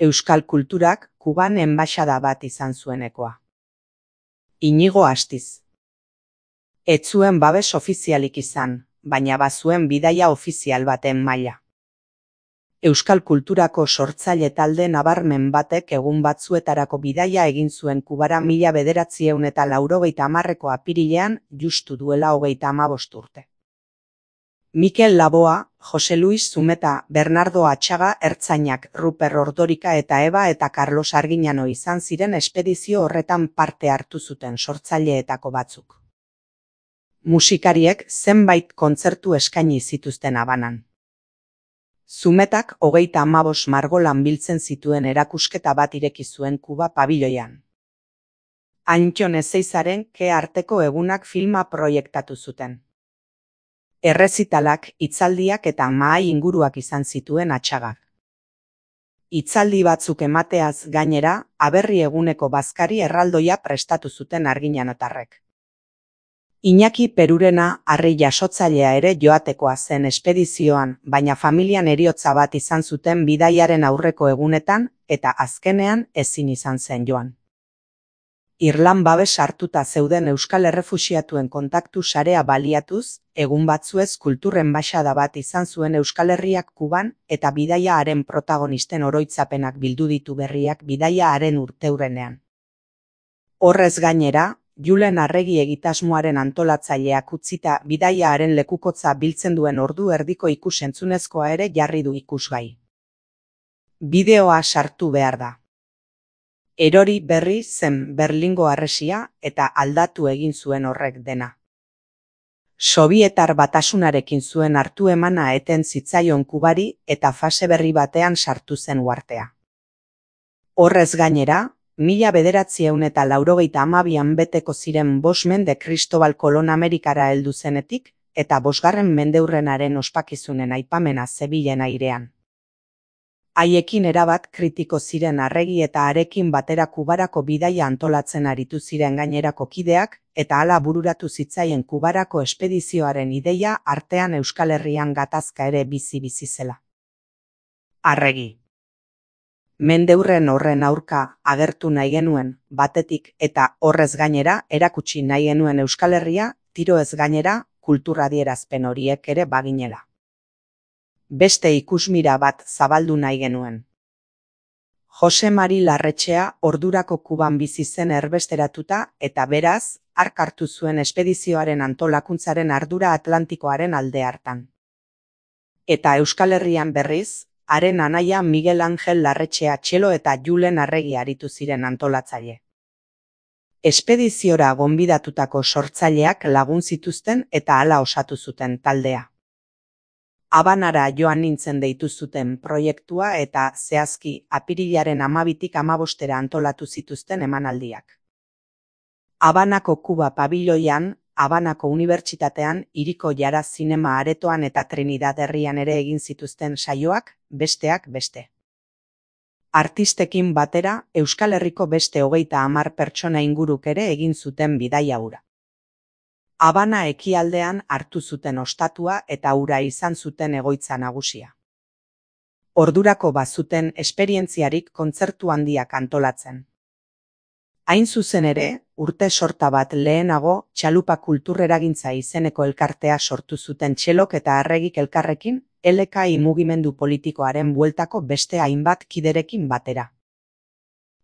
Euskal kulturak Kuban enbaxada bat izan zuenekoa. Inigo Astiz. Ez zuen babes ofizialik izan, baina bazuen bidaia ofizial baten maila. Euskal kulturako sortzaile talde nabarmen batek egun batzuetarako bidaia egin zuen Kubara 1980ko apirilean, justu duela 35 urte. Mikel Laboa, Jose Luis Zumeta, Bernardo Atxaga ertzainak, Ruper Ordorika eta Eba eta Carlos Arginano izan ziren espedizio horretan parte hartu zuten sortzaileetako batzuk. Musikariek zenbait kontzertu eskaini zituzten Habanan. Zumetak 35 margolan biltzen zituen erakusketa bat ireki zuen Kuba pabiloian. Antton Ezeizaren Ke arteko egunak filma proiektatu zuten. Errezitalak, hitzaldiak eta mahai inguruak izan zituen Atxagak. Hitzaldi batzuk emateaz gainera, Aberri eguneko bazkari erraldoia prestatu zuten arginanotarrek. Iñaki Perurena harri jasotzailea ere joatekoa zen espedizioan, baina familian heriotza bat izan zuten bidaiaren aurreko egunetan, eta azkenean ezin izan zen joan. Irlan babes hartuta zeuden euskal errefuxiatuen kontaktu sarea baliatuz, egun batzuez kultur enbaxada bat izan zuen Euskal Herriak Kuban, eta bidaia haren protagonisten oroitzapenak bildu ditu berriak bidaia haren urteurrenean. Horrez gainera, Julen Arregi egitasmoaren antolatzaileak utzita bidaia haren lekukotza biltzen duen ordu erdiko ikus-entzunezkoa ere jarri du ikusgai. Bideoa sartu behar da. Erori berri zen Berlingo harresia eta aldatu egin zuen horrek dena. Sobietar Batasunarekin zuen hartu emana eten zitzaion Kubari eta fase berri batean sartu zen uhartea. Horrez gainera, 1982an beteko ziren 5 mende Kristobal Kolon Amerikara heldu zenetik, eta 5. mendeurrenaren ospakizunen aipamena zebilen airean. Haiekin erabat kritiko ziren Arregi eta harekin batera Kubarako bidaia antolatzen aritu ziren gainerako kideak, eta hala bururatu zitzaien Kubarako espedizioaren ideia artean Euskal Herrian gatazka ere bizi zela. Arregi. Mendeurren horren aurka agertu nahi genuen, batetik eta horrez gainera erakutsi nahi genuen Euskal Herria, tiro ez gainera, kultur adierazpen horiek ere baginela. Beste ikusmira bat zabaldu nahi genuen. Jose Mari Larretxea ordurako Kuban bizi zen erbesteratuta eta beraz, hark hartu zuen espedizioaren antolakuntzaren ardura Atlantikoaren alde hartan. Eta Euskal Herrian berriz, haren anaia Miguel Angel Larretxea txelo eta Julen Arregi aritu ziren antolatzaile. Espediziora gonbidatutako sortzaileak lagun zituzten eta hala osatu zuten taldea. Habanara joan nintzen deitu zuten proiektua eta zehazki apirilaren 12tik 15 antolatu zituzten emanaldiak. Habanako Kuba pabiloian, Habanako Unibertsitatean, Hiriko Jara Zinema Aretoan eta Trinidad herrian ere egin zituzten saioak, besteak beste. Artistekin batera, Euskal Herriko beste 30 pertsona inguruk ere egin zuten bidaia hura. Habana ekialdean hartu zuten ostatua eta hura izan zuten egoitza nagusia. Ordurako bazuten esperientziarik kontzertu handiak antolatzen. Hain zuzen ere, urte sorta bat lehenago, Txalupa Kultureragintza izeneko elkartea sortu zuten Txelok eta Arregik elkarrekin, LKI mugimendu politikoaren bueltako beste hainbat kiderekin batera.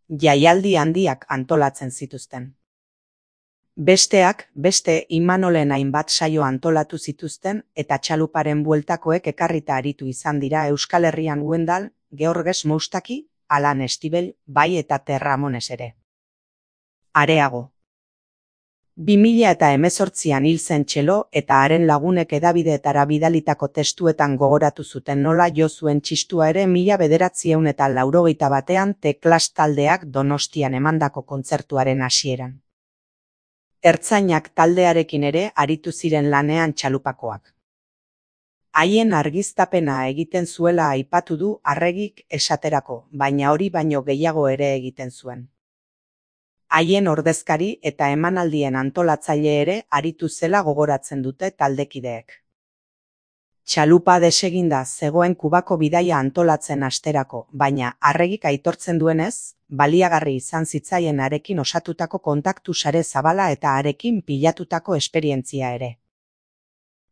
Jaialdi handiak antolatzen zituzten. Besteak, beste Imanolen hainbat saio antolatu zituzten eta Txaluparen bueltakoek ekarrita aritu izan dira Euskal Herrian Wendal, Georges Moustaki, Alan Estibel, bai eta Terramones ere. Areago. 2018an hil zen Txelo eta haren lagunek hedabideetara bidalitako testuetan gogoratu zuten nola jo zuen txistua ere 1981an Teklas taldeak Donostian emandako kontzertuaren hasieran. Ertzainak taldearekin ere aritu ziren lanean Txalupakoak. Haien argiztapena egiten zuela aipatu du Arregik esaterako, baina hori baino gehiago ere egiten zuen. Haien ordezkari eta emanaldien antolatzaile ere aritu zela gogoratzen dute taldekideek. Txalupa deseginda zegoen Kubako bidaia antolatzen hasterako, baina Arregik aitortzen duenez, baliagarri izan zitzaien harekin osatutako kontaktu sare zabala eta harekin pilatutako esperientzia ere.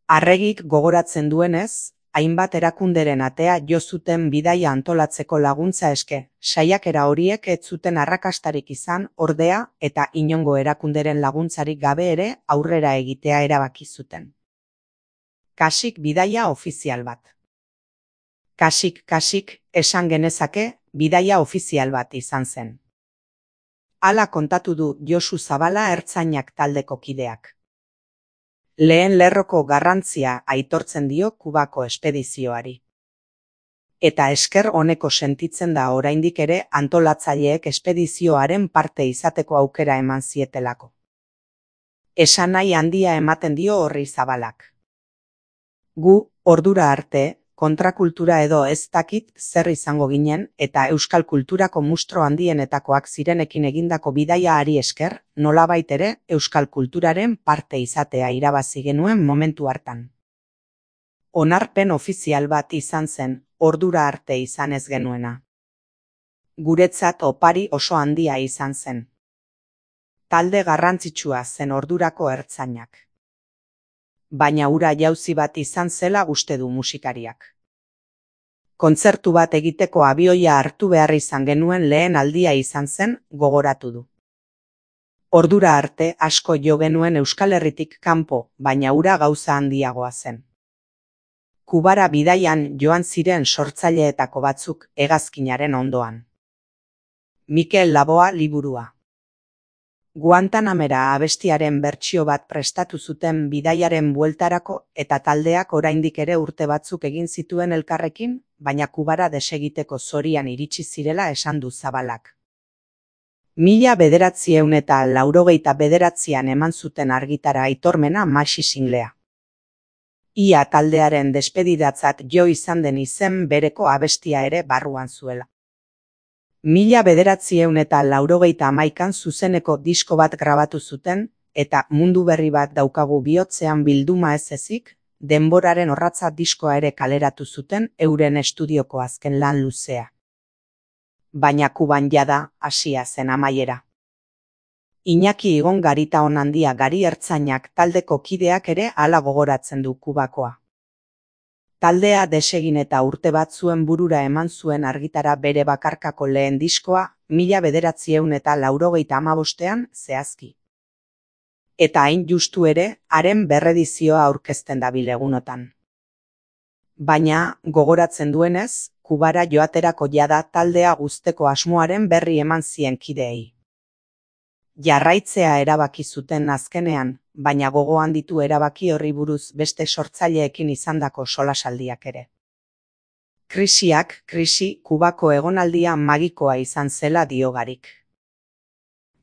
Arregik gogoratzen duenez, hainbat erakunderen atea jo zuten bidaia antolatzeko laguntza eske, saiakera horiek ez zuten arrakastarik izan, ordea, eta inongo erakunderen laguntzarik gabe ere aurrera egitea erabaki zuten. Kasik bidaia ofizial bat. Kasik, esan genezake, bidaia ofizial bat izan zen. Hala kontatu du Josu Zabala ertzainak taldeko kideak. Lehen lerroko garrantzia aitortzen dio Kubako espedizioari. Eta esker honeko sentitzen da oraindik ere antolatzaileek espedizioaren parte izateko aukera eman zietelako. Esanahi handia ematen dio horri Zabalak. Gu, ordura arte, kontrakultura edo ez dakit zer izango ginen eta euskal kulturako mustro handienetakoak zirenekin egindako bidaiaari esker, nolabait ere euskal kulturaren parte izatea irabazi genuen momentu hartan. Onarpen ofizial bat izan zen, ordura arte izan ez genuena. Guretzat opari oso handia izan zen. Talde garrantzitsua zen ordurako ertzainak. Baina hura jauzi bat izan zela uste du musikariak. Kontzertu bat egiteko abioia hartu behar izan genuen lehen aldia izan zen, gogoratu du. Ordura arte asko jo genuen Euskal Herritik kanpo, baina hura gauza handiagoa zen. Kubara bidaian joan ziren sortzaileetako batzuk hegazkinaren ondoan. Mikel Laboa liburua. Guantanamera abestiaren bertsio bat prestatu zuten bidaiaren bueltarako eta taldeak oraindik ere urte batzuk egin zituen elkarrekin, baina Kubara desegiteko zorian iritsi zirela esan du Zabalak. 1989an eman zuten argitara aitormena Maxi singlea. Ia taldearen despedidatzat jo izan den izen bereko abestia ere barruan zuela. 1991an zuzeneko disko bat grabatu zuten, eta Mundu berri bat daukagu bihotzean bilduma ez ezik, Denboraren orratza diskoa ere kaleratu zuten euren estudioko azken lan luzea. Baina Kuban jada hasia zen amaiera. Iñaki Igon Garitaon handia Gari ertzainak taldeko kideak ere hala gogoratzen du Kubakoa. Taldea desegin eta urte bat zuen burura eman zuen argitara bere bakarkako lehen diskoa 1995an zehazki. Eta hain justu ere, haren berredizioa aurkezten dabil egunotan. Baina, gogoratzen duenez, Kubara joaterako jada taldea guzteko asmoaren berri eman zien kideei. Jarraitzea erabaki zuten azkenean, baina gogoan ditu erabaki horri buruz beste sortzaileekin izandako solasaldiak ere. Krisi, Kubako egonaldia magikoa izan zela dio Garik.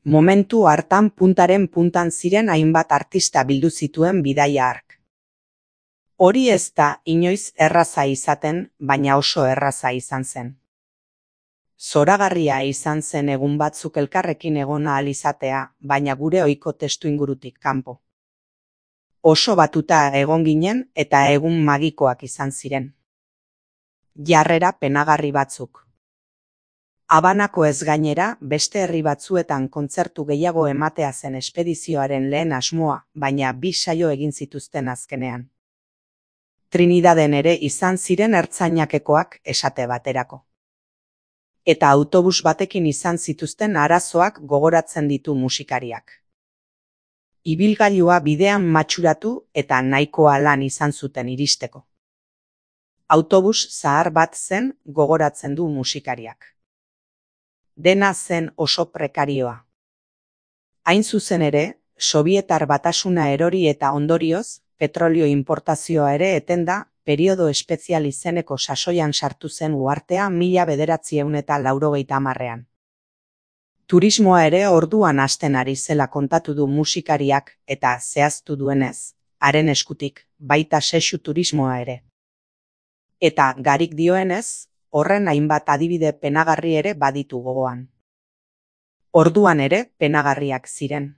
Momentu hartan puntaren puntan ziren hainbat artista bildu zituen bidaia hark. Hori ez da inoiz erraza izaten, baina oso erraza izan zen. Zoragarria izan zen egun batzuk elkarrekin egon ahal izatea, baina gure ohiko testuingurutik kanpo. Oso batuta egon ginen eta egun magikoak izan ziren. Jarrera penagarri batzuk. Habanako ez gainera, beste herri batzuetan kontzertu gehiago ematea zen espedizioaren lehen asmoa, baina 2 saio egin zituzten azkenean. Trinidaden ere izan ziren ertzainakekoak esate baterako. Eta autobus batekin izan zituzten arazoak gogoratzen ditu musikariak. Ibilgailua bidean matxuratu eta nahikoa lan izan zuten iristeko. Autobus zahar bat zen gogoratzen du musikariak. Dena zen oso prekarioa. Hain zuzen ere, Sobietar Batasuna erori eta ondorioz, petrolio importazioa ere etenda, periodo espezial izeneko sasoian sartu zen uhartea 1990an. Turismoa ere orduan hasten ari zela kontatu du musikariak eta zehaztu duenez, haren eskutik, baita sexu turismoa ere. Eta Garik dioenez, horren hainbat adibide penagarri ere baditu gogoan. Orduan ere penagarriak ziren.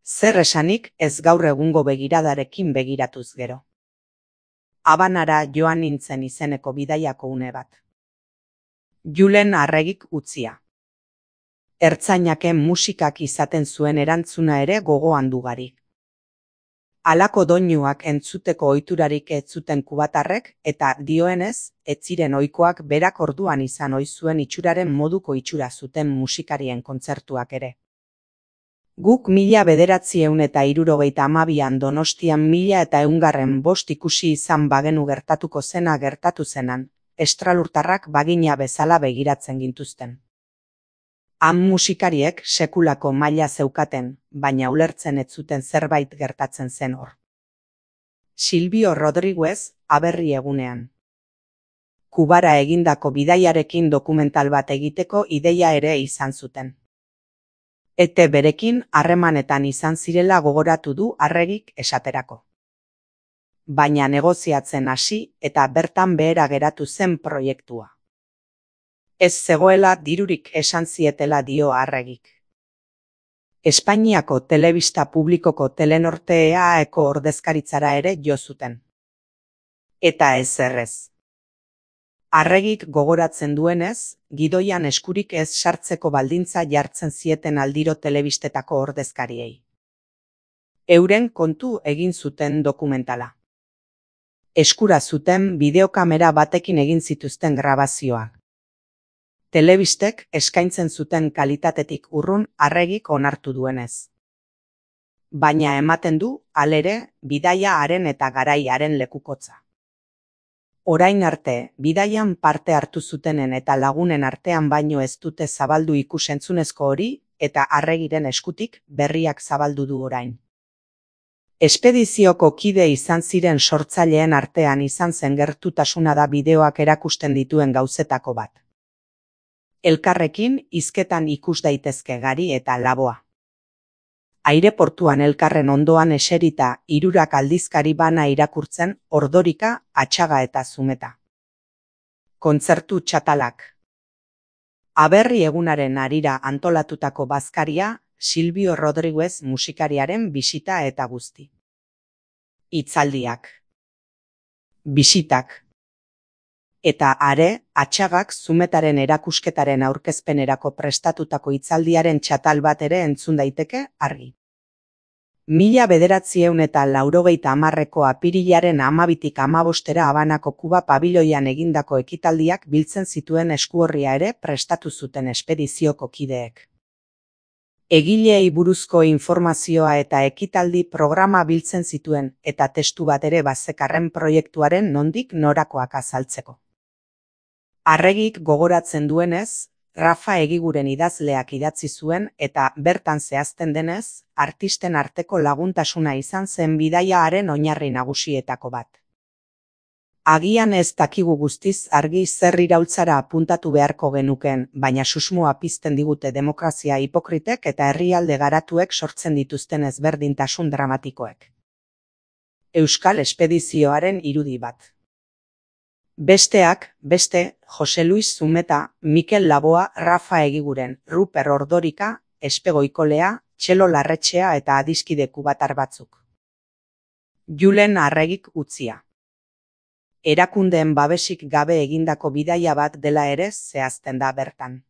Zer esanik ez gaur egungo begiradarekin begiratuz gero. Habanara joan nintzen izeneko bidaiako une bat. Julen Arregik utzia. Ertzainaken musikak izaten zuen erantzuna ere gogoan dugari. Halako doinuak entzuteko ohiturarik ez zuten kubatarrek eta dioenez, ez ziren ohikoak berak orduan izan ohi zuen itxuraren moduko itxura zuten musikarien kontzertuak ere. Guk 1972an Donostian 1105 ikusi izan bagenu gertatuko zena gertatu zenan, estralurtarrak bagina bezala begiratzen gintuzten. Han musikariek sekulako maila zeukaten, baina ulertzen ez zuten zerbait gertatzen zen hor. Silvio Rodriguez, Aberri egunean. Kubara egindako bidaiarekin dokumental bat egiteko ideia ere izan zuten. Ete berekin harremanetan izan zirela gogoratu du Arregik esaterako. Baina negoziatzen hasi eta bertan behera geratu zen proiektua. Ez zegoela dirurik esan zietela dio Arregik. Espainiako telebista publikoko Telenorte EAeko ordezkaritzara ere jo zuten. Eta ez errez. Arregik gogoratzen duenez, gidoian eskurik ez sartzeko baldintza jartzen zieten aldiro telebistetako ordezkariei. Euren kontu egin zuten dokumentala. Eskura zuten bideokamera batekin egin zituzten grabazioak. Telebistek eskaintzen zuten kalitatetik urrun Arregik onartu duenez. Baina ematen du, halere, bidaia haren eta garaiaren lekukotza. Orain arte, bidaian parte hartu zutenen eta lagunen artean baino ez dute zabaldu ikusentzunezko hori eta Arregiren eskutik berriak zabaldu du orain. Espedizioko kide izan ziren sortzaileen artean izan zen gertutasuna da bideoak erakusten dituen gauzetako bat. Elkarrekin hizketan ikus daitezke Gari eta Laboa. Aireportuan elkarren ondoan eserita hirurak aldizkari bana irakurtzen Ordorika, Atxaga eta Zumeta. Kontzertu txatalak. Aberri egunaren harira antolatutako bazkaria Silvio Rodriguez musikariaren bisita eta guzti. Hitzaldiak. Bisitak. Eta are, Atxagak Zumetaren erakusketaren aurkezpenerako prestatutako hitzaldiaren txatal bat ere entzun daiteke argi. 1980ko apirilaren 12tik 15 Habanako Kuba pabiloian egindako ekitaldiak biltzen zituen eskuorria ere prestatu zuten espedizioko kideek. Egileei buruzko informazioa eta ekitaldi programa biltzen zituen eta testu bat ere bazekarren proiektuaren nondik norakoak azaltzeko. Arregik gogoratzen duenez, Rafa Egiguren idazleak idatzi zuen eta bertan zehazten denez, artisten arteko laguntasuna izan zen bidaia haren oinarri nagusietako bat. Agian ez dakigu guztiz argi zer iraultzara apuntatu beharko genuken, baina susmoa pizten digute demokrazia hipokritek eta herrialde garatuek sortzen dituzten ezberdintasun dramatikoek. Euskal espedizioaren irudi bat. Besteak, beste, Jose Luis Zumeta, Mikel Laboa, Rafa Egiguren, Ruper Ordorika, Espegoikolea, Txelo Larretxea eta adiskide kubatar batzuk. Julen Arregik utzia. Erakundeen babesik gabe egindako bidaia bat dela ere zehazten da bertan.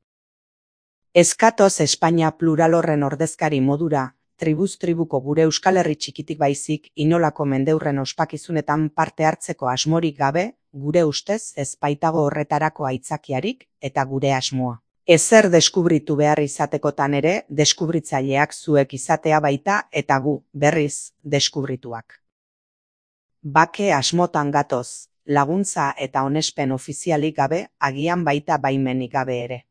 Eskatoz Espainia plural horren ordezkari modura, tribuz tribuko gure Euskal Herri txikitik baizik inolako mendeurren ospakizunetan parte hartzeko asmorik gabe, gure ustez ez baitago horretarako aitzakiarik eta gure asmoa. Ezer deskubritu behar izatekotan ere, deskubritzaileak zuek izatea baita eta gu, berriz, deskubrituak. Bake asmotan gatoz, laguntza eta onespen ofizialik gabe, agian baita baimenik gabe ere.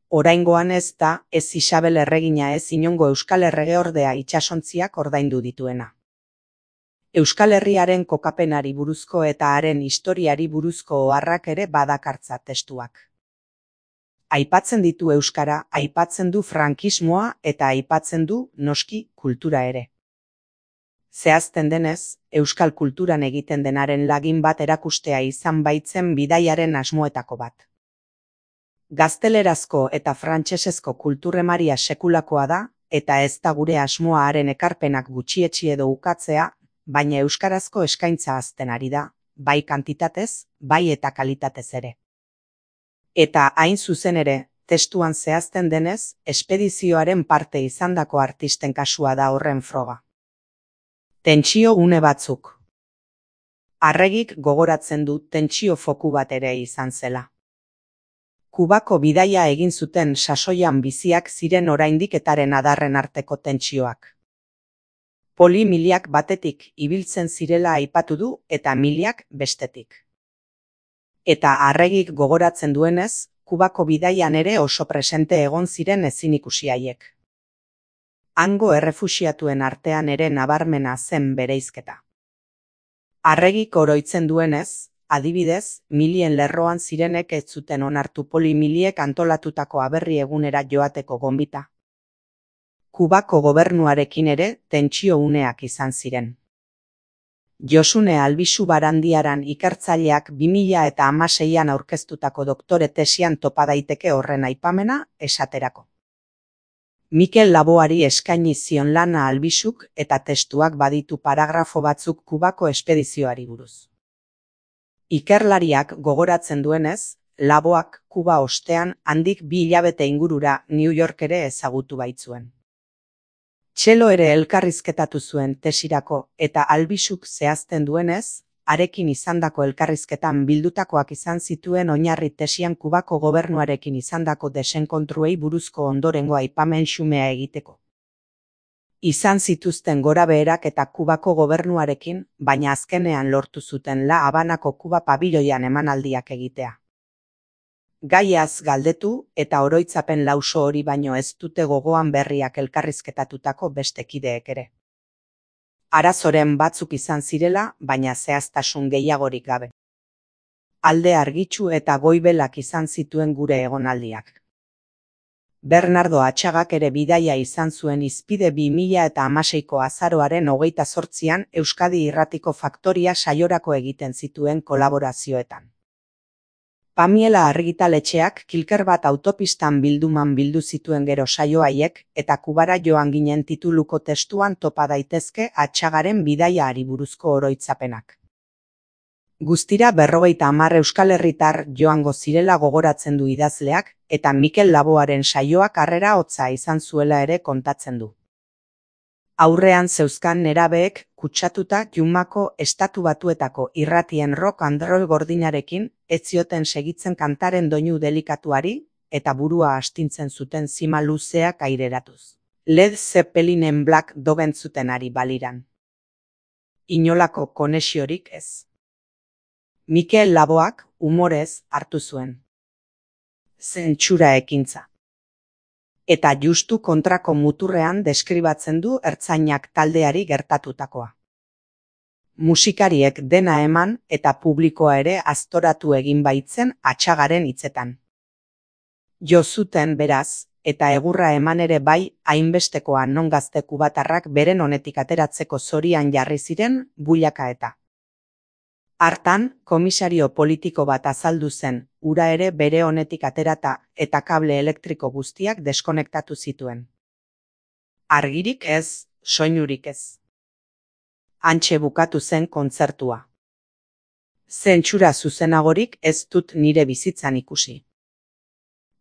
Oraingoan ez da, ez Isabel erregina ez inongo Euskal Erregeordea itsasontziak ordaindu dituena. Euskal Herriaren kokapenari buruzko eta haren historiari buruzko oharrak ere badakartza testuak. Aipatzen ditu euskara, aipatzen du frankismoa eta aipatzen du, noski, kultura ere. Zehazten denez, euskal kulturan egiten denaren lagin bat erakustea izan baitzen bidaiaren asmoetako bat. Gaztelerazko eta frantsesezko kulturremaria sekulakoa da, eta ez da gure asmoa haren ekarpenak gutxietsi edo ukatzea, baina euskarazko eskaintza hazten ari da, bai kantitatez, bai eta kalitatez ere. Eta hain zuzen ere, testuan zehazten denez, espedizioaren parte izandako artisten kasua da horren froga. Tentsio une batzuk. Arregik gogoratzen du tentsio foku bat ere izan zela. Kubako bidaia egin zuten sasoian biziak ziren oraindik etaren adarren arteko tentsioak. Poli miliak batetik ibiltzen zirela aipatu du eta miliak bestetik. Eta arregik gogoratzen duenez, Kubako bidaian ere oso presente egon ziren ezin ikusi haiek. Hango errefuxiatuen artean ere nabarmena zen bereizketa. Arregik oroitzen duenez, adibidez, milien lerroan zirenek ez zuten onartu poli miliek antolatutako aberri egunera joateko gonbita. Kubako gobernuarekin ere tentsio uneak izan ziren. Josune Albizu Barandiaran ikertzaileak 2016an aurkeztutako doktore tesian topa daiteke horren aipamena esaterako. Mikel Laboari eskaini zion lana Albizuk eta testuak baditu paragrafo batzuk Kubako espedizioari buruz. Ikerlariak gogoratzen duenez, Laboak Kuba ostean handik 2 hilabete ingurura New York ere ezagutu baitzuen. Txelo ere elkarrizketatu zuen tesirako eta Albizuk zehazten duenez, harekin izandako elkarrizketan bildutakoak izan zituen oinarri tesian Kubako gobernuarekin izandako desenkontruei buruzko ondorengo aipamen xumea egiteko. Izan zituzten gorabeherak eta Kubako gobernuarekin, baina azkenean lortu zuten La Habanako Kuba pabiloian emanaldiak egitea. Gaiaz galdetu eta oroitzapen lauso hori baino ez dute gogoan berriak elkarrizketatutako beste kideek ere. Arazoren batzuk izan zirela, baina zehaztasun gehiagorik gabe. Alde argitsu eta goibelak izan zituen gure egonaldiak. Bernardo Atxagak ere bidaia izan zuen hizpide 2016ko azaroaren 28an Euskadi Irratiko Faktoria saiorako egiten zituen kolaborazioetan. Pamiela argitaletxeak Kilker bat autopistan bilduman bildu zituen gero saio haiek eta Kubara joan ginen tituluko testuan topa daitezke Atxagaren bidaiaari buruzko oroitzapenak. Guztira 50 euskal herritar joango zirela gogoratzen du idazleak eta Mikel Laboaren saioak harrera hotza izan zuela ere kontatzen du. Aurrean zeuzkan nerabeek kutsatuta Jumako Estatu Batuetako irratien rock and roll gordinarekin ez zioten segitzen kantaren doinu delikatuari eta burua astintzen zuten zima luzeak aireratuz. Led Zeppelinen Black Dog entzuten ari baliran. Inolako konexiorik ez. Mikel Laboak umorez hartu zuen. Zentsura ekintza. Eta justu kontrako muturrean deskribatzen du ertzainak taldeari gertatutakoa. Musikariek dena eman eta publikoa ere aztoratu egin baitzen Atxagaren hitzetan. Jo zuten beraz, eta egurra eman ere bai, hainbestekoa non gazte kubatarrak beren honetik ateratzeko zorian jarri ziren builaka eta. Hartan, komisario politiko bat azaldu zen, ura ere bere honetik aterata eta kable elektriko guztiak deskonektatu zituen. Argirik ez, soinurik ez. Hantxe bukatu zen kontzertua. Zentsura zuzenagorik ez dut nire bizitzan ikusi.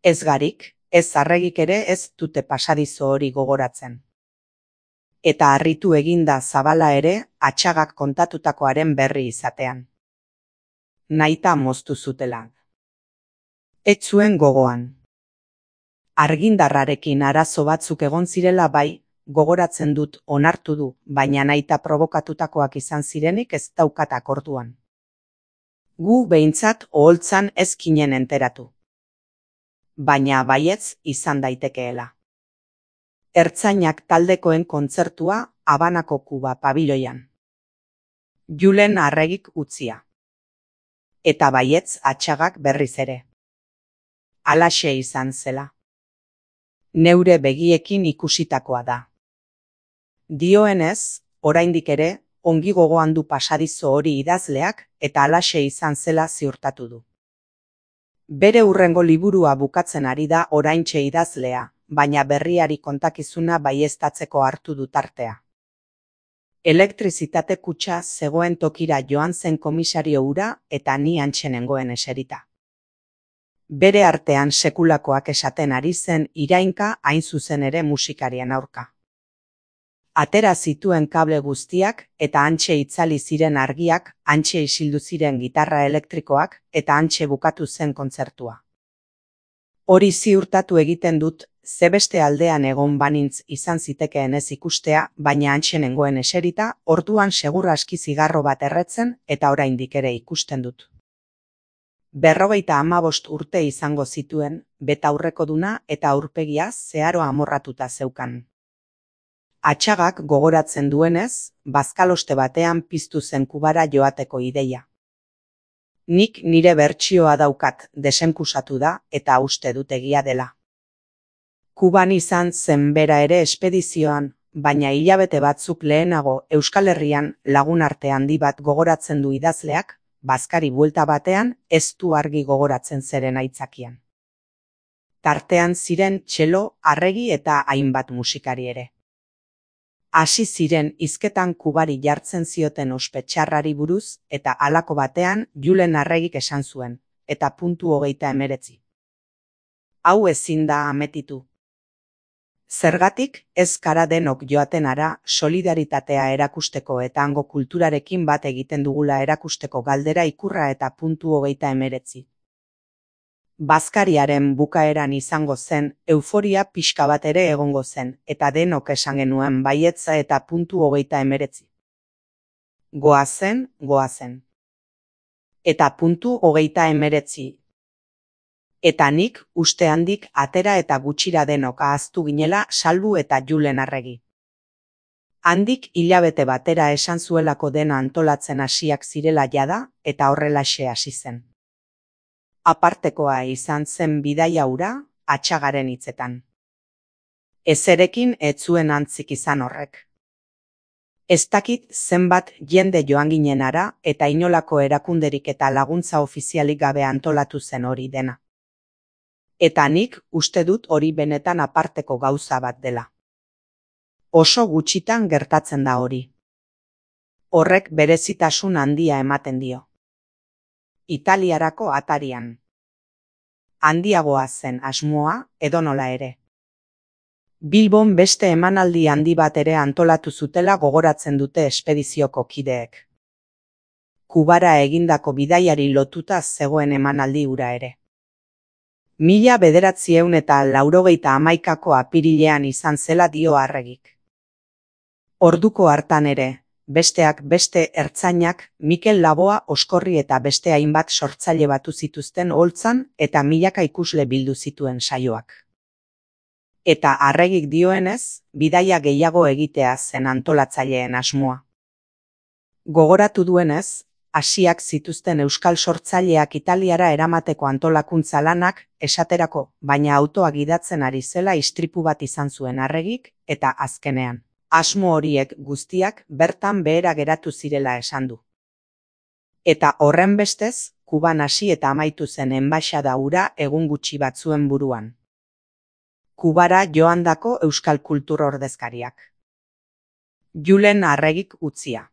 Ez garik, ez arregik ere ez dute pasadizo hori gogoratzen. Eta harritu eginda zabala ere, Atxagak kontatutakoaren berri izatean. Nahita moztu zutela. Ez zuen gogoan. Argindarrarekin arazo batzuk egon zirela bai, gogoratzen dut onartu du, baina nahita provokatutakoak izan zirenik ez daukatak orduan. Gu behintzat oholtzan ez ginen enteratu. Baina baietz izan daitekeela. Ertzainak taldekoen kontzertua Habanako Kuba pabiloian. Julen Arregik utzia. Eta baietz Atxagak berriz ere. Halaxe izan zela. Neure begiekin ikusitakoa da. Dioenez, oraindik ere, ongi gogoan du pasadizo hori idazleak eta halaxe izan zela ziurtatu du. Bere hurrengo liburua bukatzen ari da oraintxe idazlea, baina berriari kontakizuna baieztatzeko hartu du tartea. Elektrizitate kutxa zegoen tokira joan zen komisario hura eta ni hantxe nengoen eserita. Bere artean sekulakoak esaten ari zen irainka hain zuzen ere musikarien aurka. Atera zituen kable guztiak eta hantxe itzali ziren argiak, hantxe isildu ziren gitarra elektrikoak eta hantxe bukatu zen kontzertua. Hori ziurtatu egiten dut, ze beste aldean egon banintz izan zitekeen ez ikustea, baina hantxe nengoen eserita, orduan segur aski zigarro bat erretzen eta oraindik ere ikusten dut. 55 urte izango zituen, betaurrekoduna eta aurpegia zeharo amorratuta zeukan. Atxagak gogoratzen duenez, bazkaloste batean piztu zen Kubara joateko ideia. Nik nire bertsioa daukat, desenkusatu da eta uste dut egia dela. Kuban izan zen bera ere espedizioan, baina hilabete batzuk lehenago Euskal Herrian lagun arte handi bat gogoratzen du idazleak, bazkari buelta batean ez du argi gogoratzen zeren aitzakian. Tartean ziren txelo, arregi eta hainbat musikari ere. Hasi ziren hizketan Kubari jartzen zioten ospe txarrari buruz eta halako batean Julen Arregik esan zuen, eta .39. Hau ezin da ametitu. Zergatik ez gara denok joaten ara solidaritatea erakusteko eta hango kulturarekin bat egiten dugula erakusteko galdera ikurra eta .39. Bazkariaren bukaeran izango zen, euforia pixka bat ere egongo zen, eta denok esan genuen baietza eta .39. Goazen. Eta .39. Eta nik uste handik atera eta gutxira denok ahaztu ginela Salbu eta Julen Arregi. Handik hilabete batera esan zuelako dena antolatzen hasiak zirela jada eta horrelaxe hasi zen. Apartekoa izan zen bidaia hura, Atxagaren hitzetan. Ezerekin ez zuen antzik izan horrek. Ez dakit zenbat jende joan ginen ara eta inolako erakunderik eta laguntza ofizialik gabe antolatu zen hori dena. Eta nik uste dut hori benetan aparteko gauza bat dela. Oso gutxitan gertatzen da hori. Horrek berezitasun handia ematen dio. Italiarako atarian. Handiagoa zen asmoa, edonola ere. Bilbon beste emanaldi handi bat ere antolatu zutela gogoratzen dute espedizioko kideek. Kubara egindako bidaiari lotuta zegoen emanaldi hura ere. 1991ko apirilean izan zela dio Arregik. Orduko hartan ere, besteak beste ertzainak Mikel Laboa Oskorri eta beste hainbat sortzaile batu zituzten Oltzan eta milaka ikusle bildu zituen saioak. Eta Arregik dioenez, bidaia gehiago egitea zen antolatzaileen asmoa. Gogoratu duenez, hasiak zituzten euskal sortzaileak Italiara eramateko antolakuntza lanak, esaterako, baina autoa gidatzen ari zela istripu bat izan zuen Arregik, eta azkenean. Asmo horiek guztiak bertan behera geratu zirela esan du. Eta horren bestez, Kuban hasi eta amaitu zen enbaxada hura egun gutxi batzuen buruan. Kubara joandako euskal kultur ordezkariak. Julen Arregik utzia.